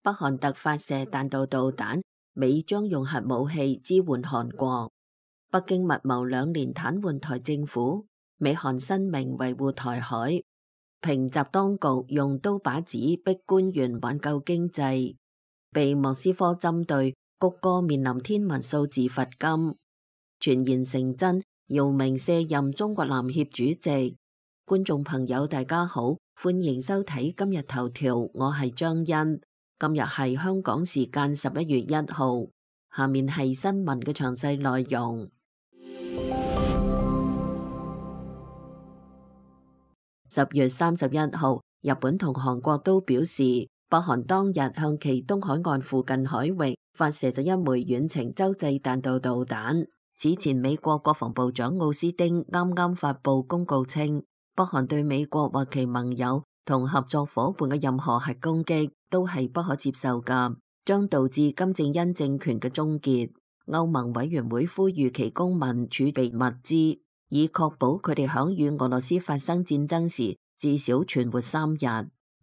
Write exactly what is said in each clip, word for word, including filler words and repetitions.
北韓特發射彈道導彈，美將用核武器支援韓國。北京密謀兩年癱瘓台政府，美韓申明維護台海。平習當局用刀把子逼官員挽救經濟。被莫斯科針對，谷歌面臨天文數字罰金。傳言成真，姚明卸任中國籃協主席。觀眾朋友大家好，歡迎收睇今日頭條，我係張欣。今日係香港時間十一月一號，下面係新聞嘅詳細內容。十月三十一號，日本同韓國都表示，北韓當日向其東海岸附近海域發射咗一枚遠程洲際彈道導彈。此前，美國國防部長奧斯汀啱啱發布公告稱，北韓對美國或其盟友同合作夥伴嘅任何核攻擊都係不可接受㗎，將導致金正恩政權嘅終結。歐盟委員會呼籲其公民儲備物資，以確保佢哋響與俄羅斯發生戰爭時至少存活三日。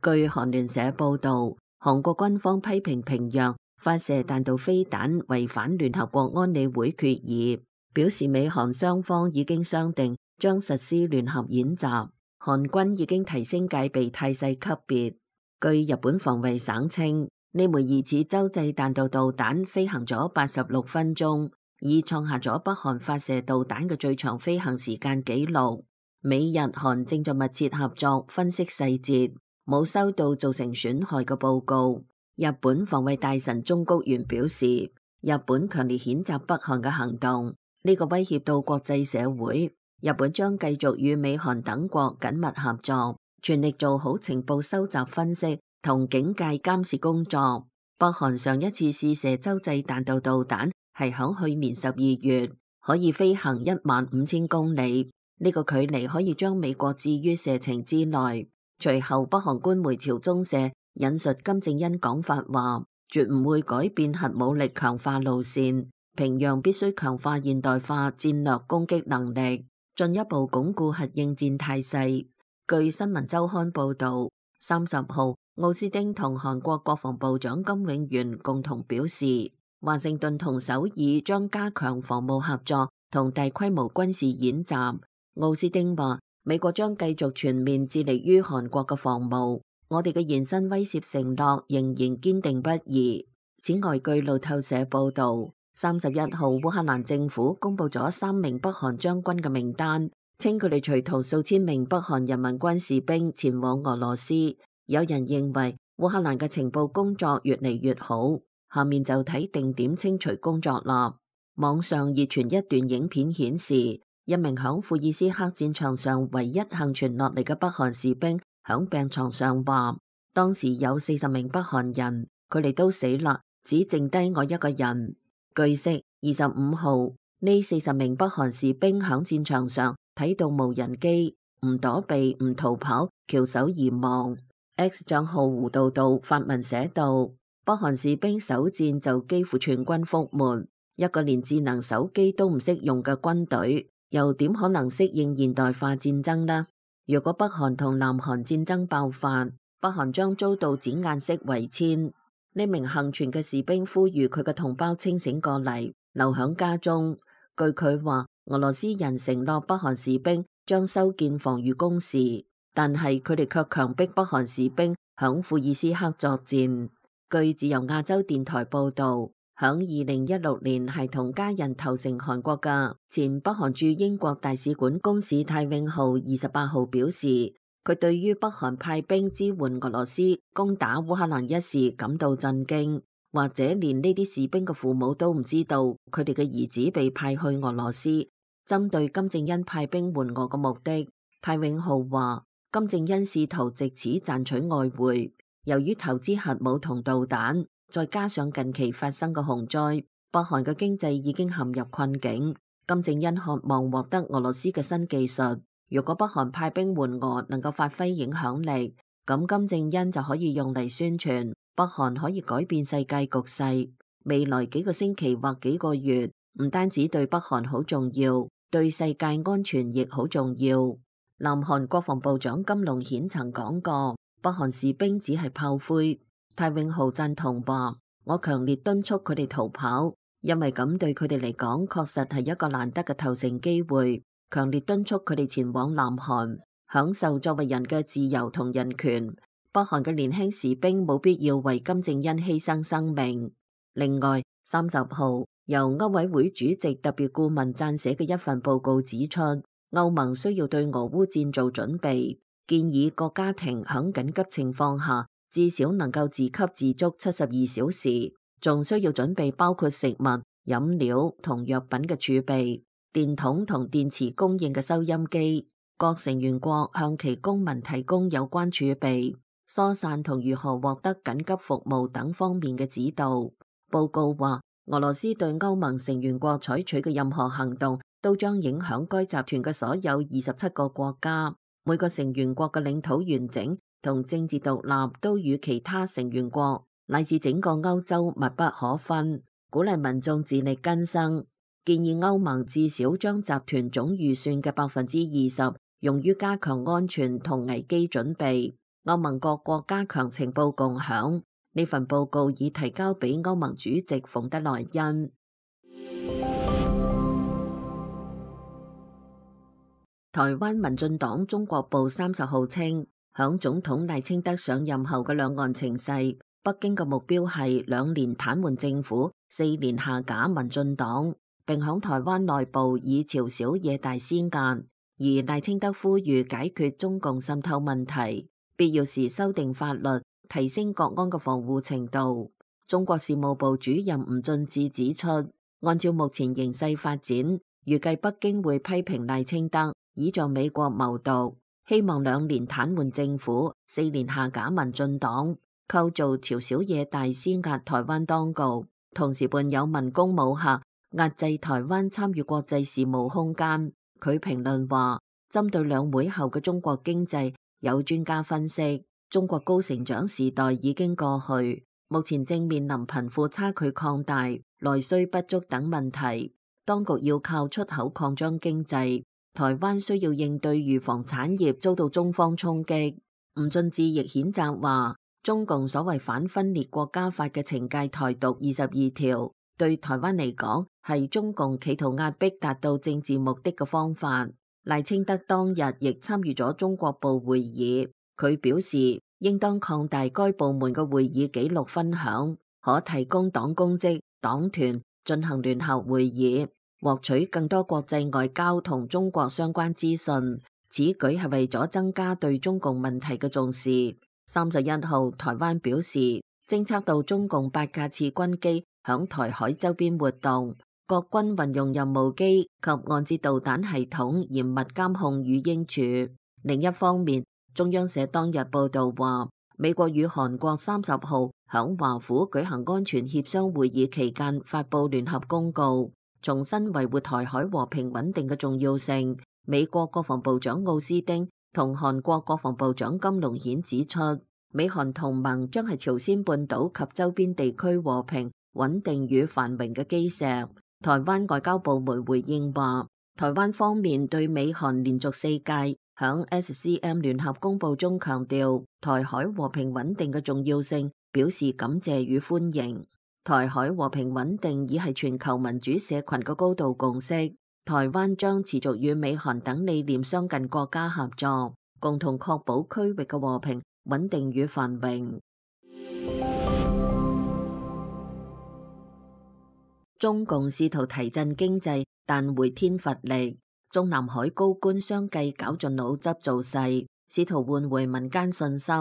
據韓聯社報道，韓國軍方批評平壤發射彈道飛彈違反聯合國安理會決議，表示美韓雙方已經商定將實施聯合演習，韓軍已經提升戒備態勢級別。據日本防衛省稱，呢枚疑似洲際彈道導彈飛行咗八十六分鐘，已創下咗北韓發射導彈嘅最長飛行時間紀錄。美日韓正在密切合作分析細節，冇收到造成損害嘅報告。日本防衛大臣中谷元表示，日本強烈譴責北韓嘅行動，呢個威脅到國際社會。日本將繼續與美韓等國緊密合作，全力做好情報收集分析同警戒監視工作。北韓上一次試射洲際彈道導彈係響去年十二月，可以飛行一萬五千公里，呢個距離可以將美國置於射程之內。隨後北韓官媒朝中社引述金正恩講法話，絕唔會改變核武力強化路線，平壤必須強化現代化戰略攻擊能力，進一步鞏固核應戰態勢。據新聞週刊報導，三十號奧斯汀同韓國國防部長金永元共同表示，華盛頓同首爾將加強防務合作同大規模軍事演習。奧斯汀話，美國將繼續全面致力於韓國嘅防務，我哋嘅延伸威懾承諾仍然堅定不移。此外，據路透社報導，三十一號烏克蘭政府公布咗三名北韓將軍嘅名單，稱佢哋隨同數千名北韓人民軍士兵前往俄羅斯。有人認為烏克蘭嘅情報工作越嚟越好，下面就睇定點清除工作啦。網上熱傳一段影片顯示，一名響庫爾斯克戰場上唯一幸存落嚟嘅北韓士兵響病床上話，當時有四十名北韓人，佢哋都死啦，只剩低我一個人。據悉，二十五號呢四十名北韓士兵響戰場上睇到無人機，唔躲避唔逃跑，翹首而亡。X 賬號胡道道發文寫道，北韓士兵首戰就幾乎全軍覆沒，一個連智能手機都唔識用嘅軍隊，又點可能適應現代化戰爭呢？如果北韓同南韓戰爭爆發，北韓將遭到剪眼式圍殲。呢名幸存嘅士兵呼籲佢嘅同胞清醒過嚟，留響家中。據佢話，俄羅斯人承諾北韓士兵將修建防禦工事，但係佢哋卻強迫北韓士兵響庫爾斯克作戰。據自由亞洲電台報道，響二零一六年係同家人投誠韓國嘅前北韓駐英國大使館公使太永浩二十八號表示，佢對於北韓派兵支援俄羅斯攻打烏克蘭一事感到震驚，或者連呢啲士兵嘅父母都唔知道佢哋嘅兒子被派去俄羅斯。針對金正恩派兵援俄嘅目的，太永浩話，金正恩試圖借此賺取外匯。由於投資核武同導彈，再加上近期發生嘅洪災，北韓嘅經濟已經陷入困境。金正恩渴望獲得俄羅斯嘅新技術。如果北韓派兵援俄能夠發揮影響力，咁金正恩就可以用嚟宣傳北韓可以改變世界局勢。未來幾個星期或幾個月，唔單止對北韓好重要，對世界安全亦好重要。南韓國防部長金龍顯曾講過，北韓士兵只係炮灰。泰永浩贊同話：我強烈敦促佢哋逃跑，因為咁對佢哋嚟講確實係一個難得嘅投誠機會。強烈敦促佢哋前往南韓，享受作為人嘅自由同人權。北韓嘅年輕士兵冇必要為金正恩犧牲生命。另外，三十號由歐委會主席特別顧問撰寫嘅一份報告指出，歐盟需要對俄烏戰做準備，建議各家庭響緊急情況下至少能夠自給自足七十二小時，仲需要準備包括食物、飲料同藥品嘅儲備、電筒同電池供應嘅收音機。各成員國向其公民提供有關儲備、疏散同如何獲得緊急服務等方面嘅指導。報告話，俄羅斯對歐盟成員國採取嘅任何行動都將影響該集團嘅所有二十七個國家。每個成員國嘅領土完整同政治獨立都與其他成員國乃至整個歐洲密不可分。鼓勵民眾自力更生，建議歐盟至少將集團總預算嘅百分之二十用於加強安全同危機準備。歐盟各國加強情報共享。呢份報告已提交俾歐盟主席馮德萊恩。台灣民進黨中國部三十號稱，響總統賴清德上任後嘅兩岸情勢，北京嘅目標係兩年癱瘓政府，四年下架民進黨，並響台灣內部以朝小野大施壓。而賴清德呼籲解決中共滲透問題，必要時修訂法律，提升國安嘅防護程度。中國事務部主任吳俊志指出，按照目前形勢發展，預計北京會批評賴清德倚仗美國謀獨，希望兩年癱瘓政府，四年下架民進黨，構造朝小野大施壓台灣當局，同時伴有文攻武嚇，壓制台灣參與國際事務空間。佢評論話，針對兩會後嘅中國經濟，有專家分析，中國高成長時代已經過去，目前正面臨貧富差距擴大、內需不足等問題，當局要靠出口擴張經濟。台灣需要應對預防產業遭到中方衝擊。吳俊志亦譴責話，中共所謂反分裂國家法嘅懲戒台獨二十二條，對台灣嚟講係中共企圖壓迫達到政治目的嘅方法。賴清德當日亦參與咗中國部會議，佢表示應當擴大該部門嘅會議記錄分享，可提供黨公職、黨團進行聯合會議，獲取更多國際外交同中國相關資訊。此舉係為咗增加對中共問題嘅重視。三十一號，台灣表示偵測到中共八架次軍機響台海周邊活動，各軍運用任務機及岸截導彈系統嚴密監控與應處。另一方面，中央社當日報道話，美國與韓國三十號響華府舉行安全協商會議期間發佈聯合公告，重新維護台海和平穩定嘅重要性。美國國防部長奧斯汀同韓國國防部長金龍顯指出，美韓同盟將係朝鮮半島及周邊地區和平穩定與繁榮嘅基石。台灣外交部門回應話，台灣方面對美韓連續四屆響 S C M 聯合公報中強調台海和平穩定嘅重要性表示感謝與歡迎。台海和平穩定已係全球民主社群嘅高度共識。台灣將持續與美韓等理念相近國家合作，共同確保區域嘅和平穩定與繁榮。中共試圖提振經濟，但回天乏力。中南海高官相繼絞盡腦汁造勢，試圖喚回民間信心。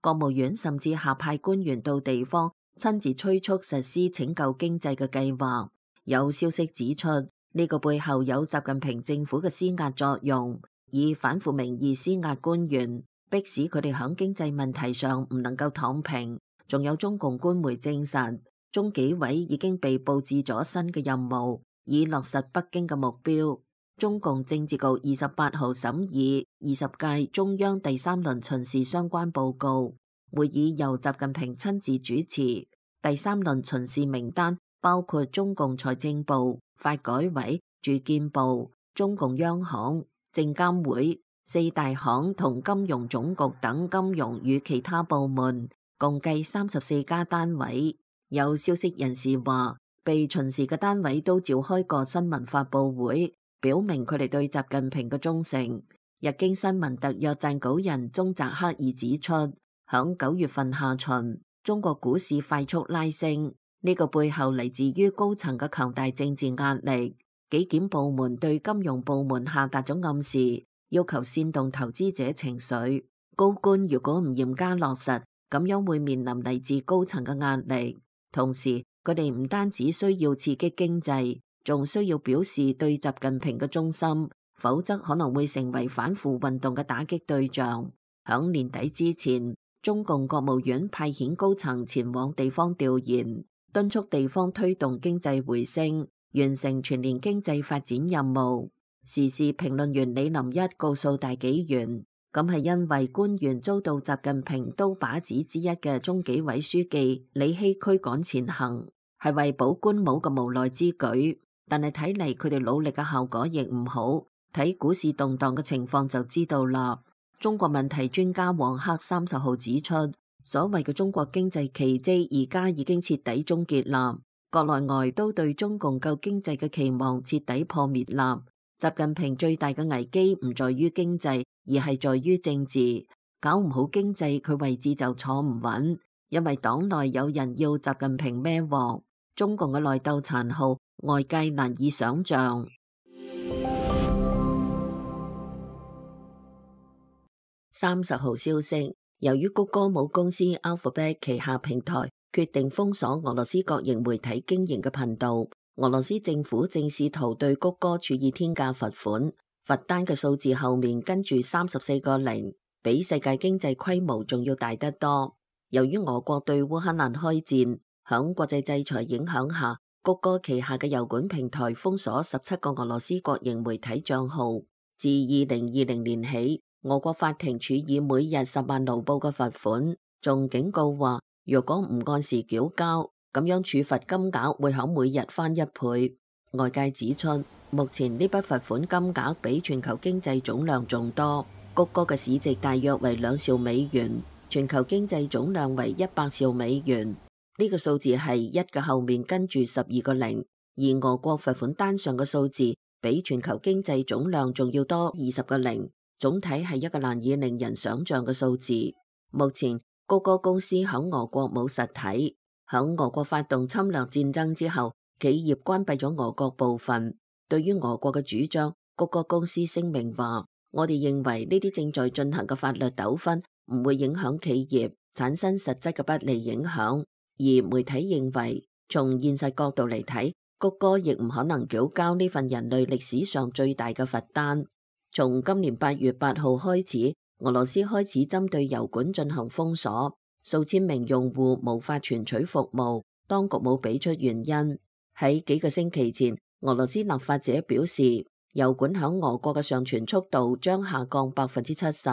國務院甚至下派官員到地方，親自催促實施拯救經濟嘅計劃。有消息指出，呢個背後有習近平政府嘅施壓作用，以反腐名義施壓官員，迫使佢哋響經濟問題上唔能夠躺平。仲有中共官媒證實，中紀委已經被佈置咗新嘅任務，以落實北京嘅目標。中共政治局二十八號審議二十屆中央第三輪巡視相關報告，會議由習近平親自主持。第三輪巡視名單包括中共財政部、發改委、住建部、中共央行、證監會、四大行同金融總局等金融與其他部門，共計三十四家單位。有消息人士話，被巡視嘅單位都召開過新聞發佈會，表明佢哋對習近平嘅忠誠。日經新聞特約撰稿人宗澤克爾指出，響九月份下旬，中國股市快速拉升，呢個背後嚟自於高層嘅強大政治壓力。紀檢部門對金融部門下達咗暗示，要求煽動投資者情緒。高官如果唔嚴加落實，咁樣會面臨嚟自高層嘅壓力。同時，佢哋唔單止需要刺激經濟，仲需要表示對習近平嘅忠心，否則可能會成為反腐運動嘅打擊對象。響年底之前，中共國務院派遣高層前往地方調研，敦促地方推動經濟回升，完成全年經濟發展任務。時事評論員李林一告訴大紀元，咁係因為官員遭到習近平刀把子之一嘅中紀委書記李希驅趕前行，係為保官帽嘅無奈之舉。但係睇嚟佢哋努力嘅效果亦唔好，睇股市動盪嘅情況就知道啦。中國問題專家王克三十號指出，所謂嘅中國經濟奇蹟而家已經徹底終結啦，國內外都對中共救經濟嘅期望徹底破滅啦。習近平最大嘅危機唔在於經濟，而係在於政治。搞唔好經濟，佢位置就坐唔穩，因為黨內有人要習近平孭鑊。中共嘅內鬥殘酷，外界難以想象。三十號消息，由於谷歌母公司 Alphabet 旗下平台決定封鎖俄羅斯國營媒體經營嘅頻道，俄羅斯政府正試圖對谷歌處以天價罰款，罰單嘅數字後面跟住三十四個零，比世界經濟規模仲要大得多。由於俄國對烏克蘭開戰，響國際制裁影響下，谷歌旗下嘅油管平台封鎖十七個俄羅斯國營媒體賬號。自二零二零年起，俄國法庭處以每日十萬盧布嘅罰款，仲警告話，如果唔按時繳交，咁樣處罰金額會響每日翻一倍。外界指出，目前呢筆罰款金額比全球經濟總量仲多。谷歌嘅市值大約為兩兆美元，全球經濟總量為一百兆美元。呢個數字係一嘅後面跟住十二個零，而俄國罰款單上嘅數字比全球經濟總量仲要多二十個零，總體係一個難以令人想象嘅數字。目前谷歌公司響俄國冇實體，響俄國發動侵略戰爭之後，企業關閉咗俄國部分。對於俄國嘅主張，谷歌公司聲明話：我哋認為呢啲正在進行嘅法律糾紛唔會影響企業，產生實質嘅不利影響。而媒體認為，從現實角度嚟睇，谷歌亦唔可能繳交呢份人類歷史上最大嘅罰單。從今年八月八號開始，俄羅斯開始針對油管進行封鎖，數千名用戶無法存取服務，當局冇俾出原因。喺幾個星期前，俄羅斯立法者表示，油管響俄國嘅上傳速度將下降百分之七十，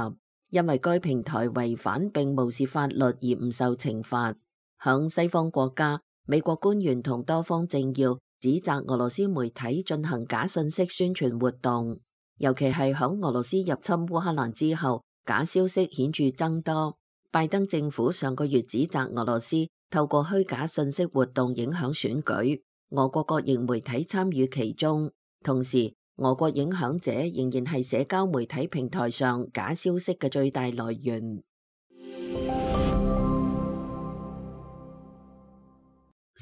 因為該平台違反並無視法律而唔受懲罰。響西方國家，美國官員同多方政要指責俄羅斯媒體進行假信息宣傳活動，尤其係響俄羅斯入侵烏克蘭之後，假消息顯著增多。拜登政府上個月指責俄羅斯透過虛假信息活動影響選舉，俄國國營媒體參與其中。同時，俄國影響者仍然係社交媒體平台上假消息嘅最大來源。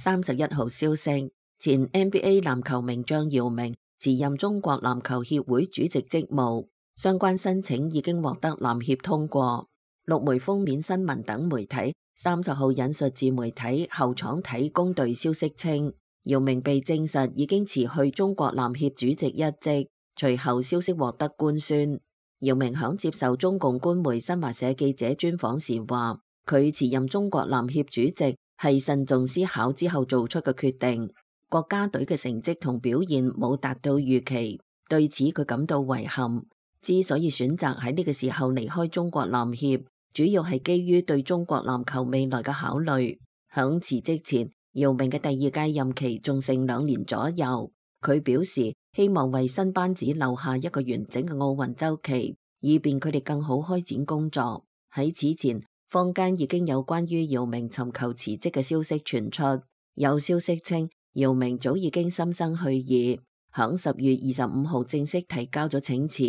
三十一號消息，前 N B A 籃球名將姚明辭任中國籃球協會主席職務，相關申請已經獲得籃協通過。陸媒封面新聞等媒體三十號引述自媒體後廠體工隊消息稱，姚明被證實已經辭去中國籃協主席一職。隨後消息獲得官宣，姚明響接受中共官媒新華社記者專訪時話，佢辭任中國籃協主席係慎重思考之後做出嘅決定。國家隊嘅成績同表現冇達到預期，對此佢感到遺憾。之所以選擇喺呢個時候離開中國籃協，主要係基於對中國籃球未來嘅考慮。響辭職前，姚明嘅第二屆任期仲剩兩年左右。佢表示希望為新班子留下一個完整嘅奧運週期，以便佢哋更好開展工作。喺此前，坊間已經有關於姚明尋求辭職嘅消息傳出，有消息稱姚明早已經心生去意，響十月二十五號正式提交咗請辭。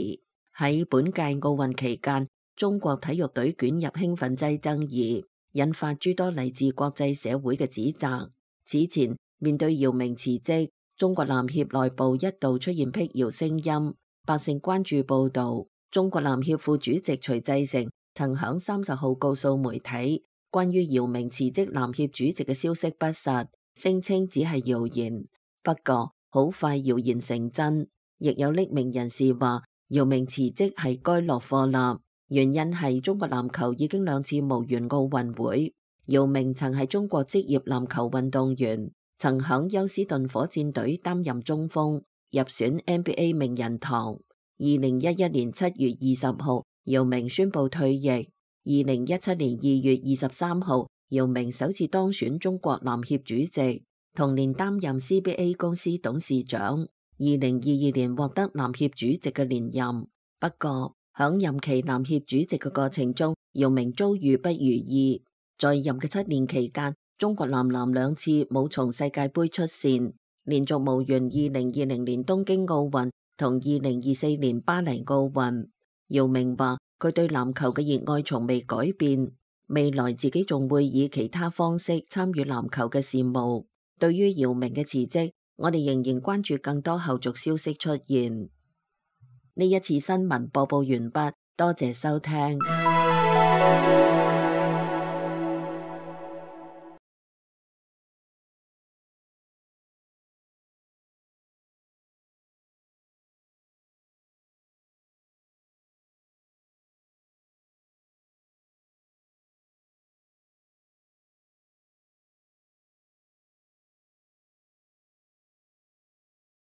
喺本屆奧運期間，中國體育隊捲入興奮劑爭議，引發諸多嚟自國際社會嘅指責。此前面對姚明辭職，中國籃協內部一度出現辟謠聲音。百姓關注報道，中國籃協副主席徐濟成曾響三十號告訴媒體，關於姚明辭職籃協主席嘅消息不實，聲稱只係謠言。不過好快謠言成真，亦有匿名人士話姚明辭職係該落課啦，原因係中國籃球已經兩次無緣奧運會。姚明曾係中國職業籃球運動員，曾響休斯頓火箭隊擔任中鋒，入選 N B A 名人堂。二零一一年七月二十號，姚明宣布退役。二零一七年二月二十三號，姚明首次當選中國籃協主席，同年擔任 C B A 公司董事長。二零二二年獲得籃協主席嘅連任，不過響任期籃協主席嘅過程中，姚明遭遇不如意。在任嘅七年期間，中國男籃兩次冇從世界盃出線，連續無緣二零二零年東京奧運同二零二四年巴黎奧運。姚明話佢對籃球嘅熱愛從未改變，未來自己仲會以其他方式參與籃球嘅事務。對於姚明嘅辭職，我哋仍然關注更多後續消息出現。呢一次新聞播報完畢，多謝收聽。